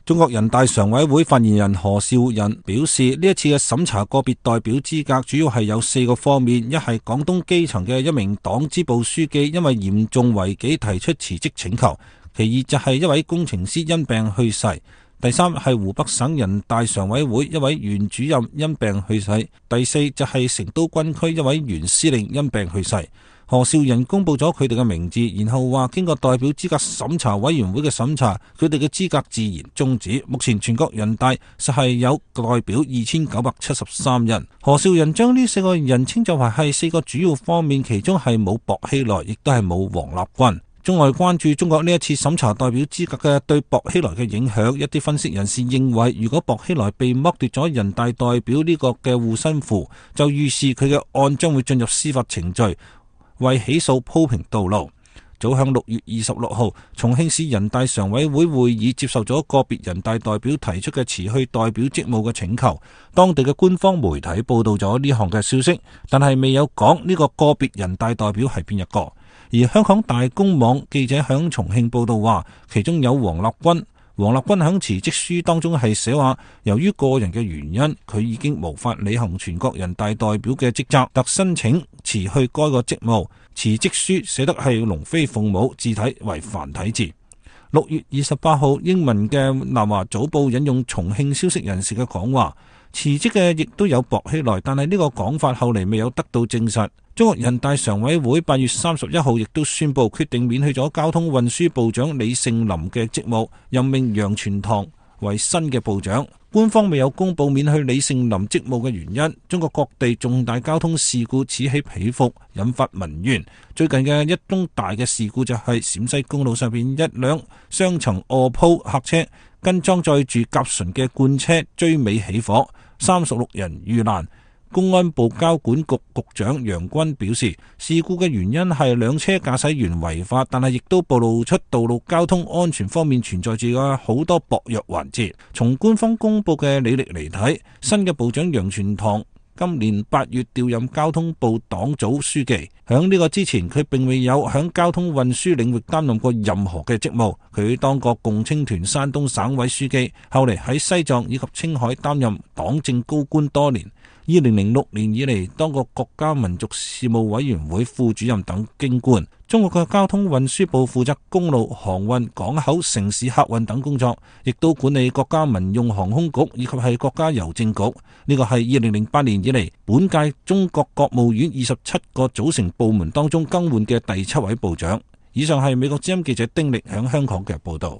中國人大常委會發言人何紹仁表示，呢一次嘅審查個別代表資格主要係有4個方面：一係廣東基層嘅一名黨支部書記因為嚴重違紀提出辭職請求；其二就係一位工程師因病去世；第三係湖北省人大常委會一位原主任因病去世；第四就係成都軍區一位原司令因病去世。何紹仁公布咗佢哋嘅名字，然後話經過代表資格審查委員會嘅審查，佢哋嘅資格自然終止。目前全國人大實係有代表2973人。何紹仁將呢4個人稱就係4個主要方面，其中係冇薄熙來，亦都係冇王立軍。中外關注中國呢一次審查代表資格嘅對薄熙來嘅影響，一啲分析人士認為，如果薄熙來被剝奪咗人大代表呢個嘅護身符，就預示佢嘅案將會進入司法程序，為起訴鋪平道路。早響6月26號，重慶市人大常委會會議接受咗個別人大代表提出嘅辭去代表職務嘅請求。當地嘅官方媒體報道咗呢項嘅消息，但係未有講呢個個別人大代表係邊一個。而香港大公網記者響重慶報道話，其中有王立軍。王立軍響辭職書當中係寫話，由於個人嘅原因，佢已經無法履行全國人大代表嘅職責，特申請辭去該個職務。辭職書寫得係龍飛鳳舞，字體為繁體字。6月28號，英文嘅南華早報引用重慶消息人士嘅講話，辭職嘅亦都有薄熙來，但係呢個講法後嚟未有得到證實。中國人大常委會8月31號亦都宣布決定免去咗交通運輸部長李盛林嘅職務，任命楊全堂為新嘅部長。官方未有公布免去李盛林職務嘅原因。中國各地重大交通事故此起彼伏，引發民怨。最近嘅一宗大嘅事故就係陝西公路上邊一輛雙層臥鋪客車跟裝載住甲醇嘅罐車追尾起火，36人遇難。公安部交管局局長楊軍表示，事故嘅原因係兩車駕駛員違法，但係亦都暴露出道路交通安全方面存在住嘅好多薄弱環節。從官方公布嘅履歷嚟睇，新嘅部長楊全堂今年8月調任交通部黨組書記。響呢個之前，佢並未有響交通運輸領域擔任過任何嘅職務。佢當過共青團山東省委書記，後嚟喺西藏以及青海擔任黨政高官多年。2006年以嚟，當過國家民族事務委員會副主任等京官。中國嘅交通運輸部負責公路、航運、港口、城市客運等工作，亦都管理國家民用航空局以及係國家郵政局。呢個係2008年以嚟本屆中國國務院27個組成部門當中更換嘅第7位部長。以上係美國之音記者丁力響香港嘅報道。